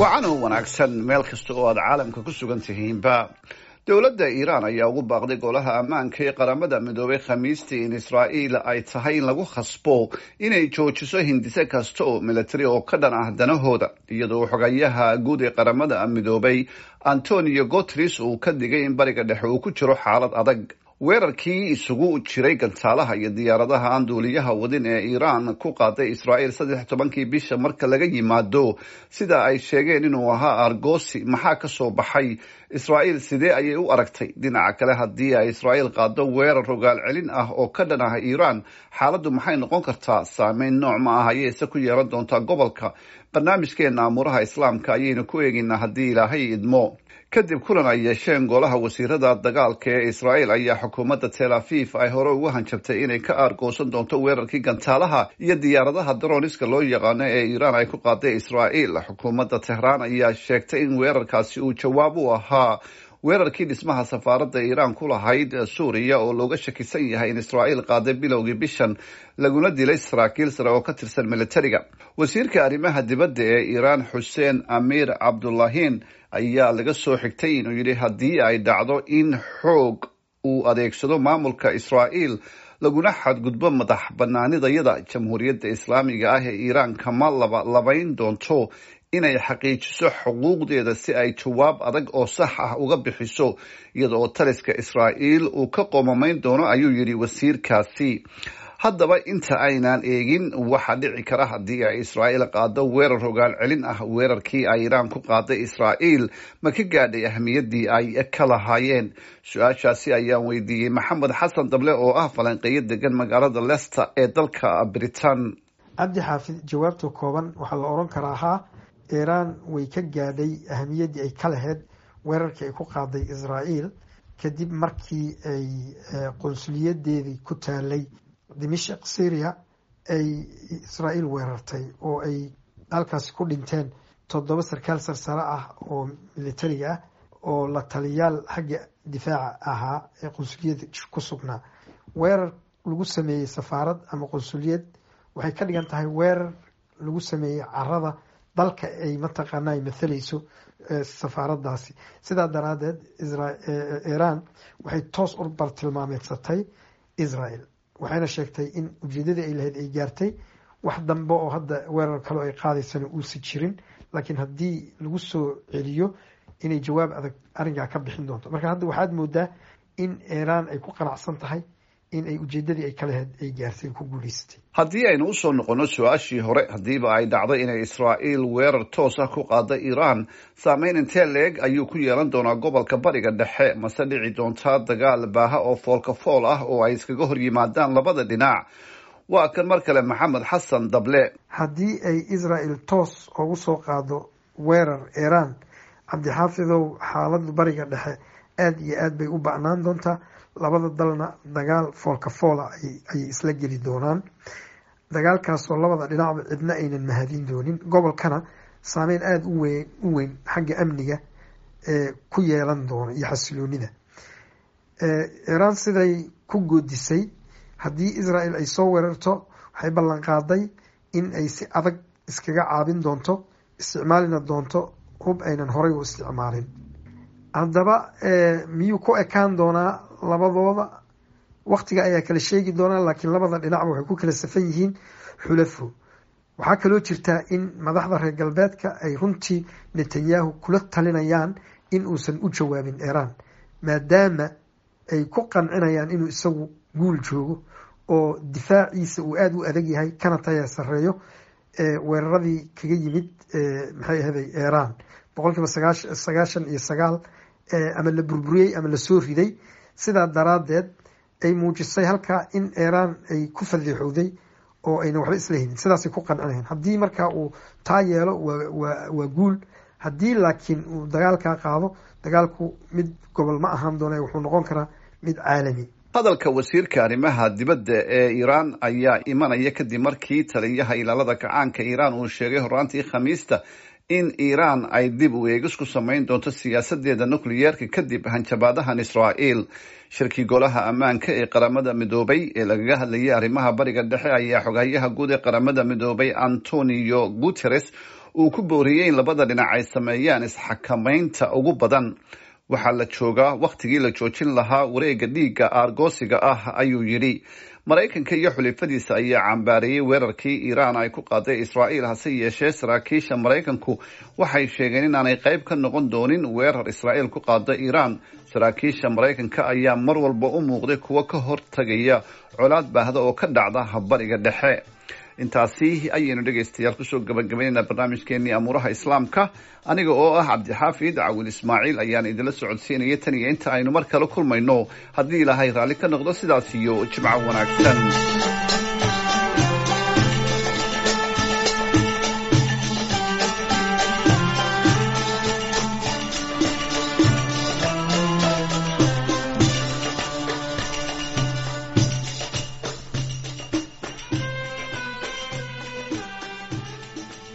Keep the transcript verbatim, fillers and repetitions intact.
Wacan oo wanaagsan meel kasta oo aad caalamka ku sugan tihiinba. Dowladda Iiraan ayaa ugu baaqday Golaha Ammaanka ee Qaramada Midoobay Khamiistii in Israa'iil ay tahay in lagu khasbo inay joojiso hindise kasta oo militari oo ka dhan ah danahooda, iyadoo xogayaha guud ee Qaramada Midoobay Antonio Guterres uu ka digay in Bariga Dhexe uu ku jiro xaalad adag. Weerarkii isugu jiray gantaalaha iyo diyaaradaha aan duuliyaha wadin ee Iiraan ku qaaday Israa'iil saddex tobankii bisha marka laga yimaado sida ay sheegeen inuu ahaa argosi, maxaa ka soo baxay? Israa'iil sidee ayay u aragtay? Dhinaca kale, haddii ay Israa'iil qaado weerar rogaal celin ah oo ka dhan ah Iiraan, xaaladdu maxay noqon kartaa? Saameyn nooc ma ah ayayse ku yeelan doontaa gobolka? Barnaamijkeena Amuuraha Islaamka ayaynu ku eegaynaa haddii Ilaahay idmo. Kadib kulan ay yeesheen golaha wasiirada dagaalka ee Israa'iil ayaa xukuumadda Tel Aviv ay hore ugu hanjabtay inay ka aargoosan doonto weerarkii gantaalaha iyo diyaaradaha droniska loo yaqaano ee Iiraan ay ku qaaday Israa'iil. Xukuumadda Tehraan ayaa sheegtay in weerarkaasi uu jawaab u ahaa weerarkii dhismaha safaaradda Iiraan ku lahayd Suuriya oo looga shakisan yahay in Israa'iil qaaday bilowgii bishan, laguna dilay saraakiil sare oo ka tirsan militariga. Wasiirka arrimaha dibadda ee Iiraan Xuseen Amiir Cabdulahin ayaa laga soo xigtay inuu yidhi haddii ay dhacdo in xoog uu adeegsado maamulka Israa'iil laguna xadgudbo madax banaanidayada, Jamhuuriyadda Islaamiga ah ee Iiraan kama laba labayn doonto inay xaqiijiso xuquuqdeeda si ay jawaab adag oo sax ah uga bixiso, iyada oo taliska Israa'iil uu ka qoomamayn doono, ayuu yidhi wasiirkaasi. Haddaba inta aynaan eegin waxa dhici kara haddii ay Israa'iil qaado weerar rogaal celin ah, weerarkii ay Iiraan ku qaaday Israa'iil ma ka gaadhay ahmiyaddii ay ka lahaayeen? Su-aashaasi ayaan weydiiyey Maxamed Xasan Dable oo ah falanqeeyo degan magaalada Leicester ee dalka Britain. Cabdi Xaafid, jawaabta kooban waxaa la oran karaa haa, Iiraan way ka gaadhay ahamiyaddii ay ka lahayd weerarkii ay ku qaaday Israa'iil, kadib markii ay qonsuliyadeedii ku taalay Dimashq, Syria, ay Israa'iil weerartay oo ay halkaasi ku dhinteen toddoba sarkaal sarsare ah oo militariga ah oo la taliyaal xagga difaaca ahaa ee qonsuliyada ku sugnaa. Weerar lagu sameeyey safaarad ama qonsuliyad waxay ka dhigan tahay weerar lagu sameeyey carada dalka ay mataqaana ay mathalayso safaaraddaasi. Sidaa daraadeed Iiraan waxay toos u bartilmaameedsatay Israel, waxayna sheegtay in ujeedadii ay lahayd ay gaartay, wax dambe oo hadda weerar kaleo ay qaadaysana uusa jirin, laakiin haddii lagu soo celiyo inay jawaab adag arrinkaa ka bixin doonto. Marka hadda waxaad moodaa in Iiraan ay ku qanacsan tahay in ay ujeedadii ay ka lahayd ay gaartay, ku guuleysatay. Haddii aynu usoo noqono su-aashii hore, haddiiba ay dhacday inay Israa'iil weerar toos ah ku qaada Iiraan, saameyn intee leeg ayuu ku yeelan doonaa gobolka Bariga Dhexe? Mase dhici doontaa dagaal baaha oo foolka fool ah oo ay iskaga hor yimaadaan labada dhinac? Waa kan mar kale Maxamed Xasan Dable. Haddii ay Israel toos ugu soo qaado weerar Iiraan, Cabdixaafidow, xaaladu Bariga Dhexe aada iyo aad bay u ba'naan doontaa. Labada dalna dagaal foolka foola ayay isla geli doonaan, dagaalkaasoo labada dhinacba cidna aynan mahadin doonin, gobolkana saameyn aada u weyn u weyn xagga amniga ee ku yeelan doono iyo xasiloonida. Iiraan siday ku goodisay, haddii Israel ay soo weerarto waxay ballan qaaday in ay si adag iskaga caabin doonto, isticmaalina doonto hub aynan horay u isticmaalin. Haddaba miyuu ku ekaan doonaa labadooda? Waktiga ayaa kala sheegi doonaa, laakiin labada dhinacba waxay ku kala safan yihiin xulafo. Waxaa kaloo jirtaa in madaxda reer galbeedka ay runtii Netanyahu kula talinayaan in uusan u jawaabin Iiraan, maadaama ay ku qancinayaan inuu isagu guul joogo oo difaaciisa uu aada u adag yahay kana taya sareeyo weeraradii kaga yimid, maxay ahaday, Iiraan boqol kiiba sagaashan iyo sagaal ama la burburiyey ama lasoo riday. Sidaa daraaddeed ay muujisay halkaa in Iiraan ay ku fadiixowday oo ayna waxba isla helin. Sidaasay ku qancinayaan. Haddii markaa uu taa yeelo waa waa guul. Haddii laakiin uu dagaalkaa qaado, dagaalku mid gobol ma ahaan doona, wuxuu noqon karaa mid caalami. Hadalka wasiirka arrimaha dibadda ee Iiraan ayaa imanaya kadib markii taliyaha Ilaalada Kacaanka Iiraan uu sheegay horaantii Khamiista in Iiraan ay dib u eegis ku samayn doonto siyaasadeeda nukliyeerka kadib hanjabaadahan Israa'iil. Shirkii Golaha Ammaanka ee Qaramada Midoobay ee lagaga hadlayay arrimaha Bariga Dhexe ayaa xoghayaha guud ee Qaramada Midoobay Antonio Guterres uu ku booriyey in labada dhinac ay sameeyaan isxakamaynta ugu badan. Waxaa la joogaa wakhtigii la joojin lahaa wareegga dhiigga aargoosiga ah, ayuu yidhi. Maraykanka iyo xulifadiisa ayaa cambaareeyey weerarkii Iiraan ay ku qaaday Israa'iil. Hase yeeshee, saraakiisha Maraykanku waxay sheegeen inaanay qayb ka noqon doonin weerar Israa'iil ku qaada Iiraan. Saraakiisha Maraykanka ayaa mar walba u muuqday kuwo ka hortagaya colaad baahda oo ka dhacda Bariga Dhexe. Intaasi ayaynu, dhegaystayaal, kusoo gabagabaynaynaa barnaamijkeenii Amuuraha Islaamka. Aniga oo ah Cabdixaafid Cawil Ismaaciil ayaan idinla socodsiinaya tan iyo inta aynu mar kale kulmayno, haddii Ilaahay raalli ka noqdo, sidaas iyo jimco wanaagsan.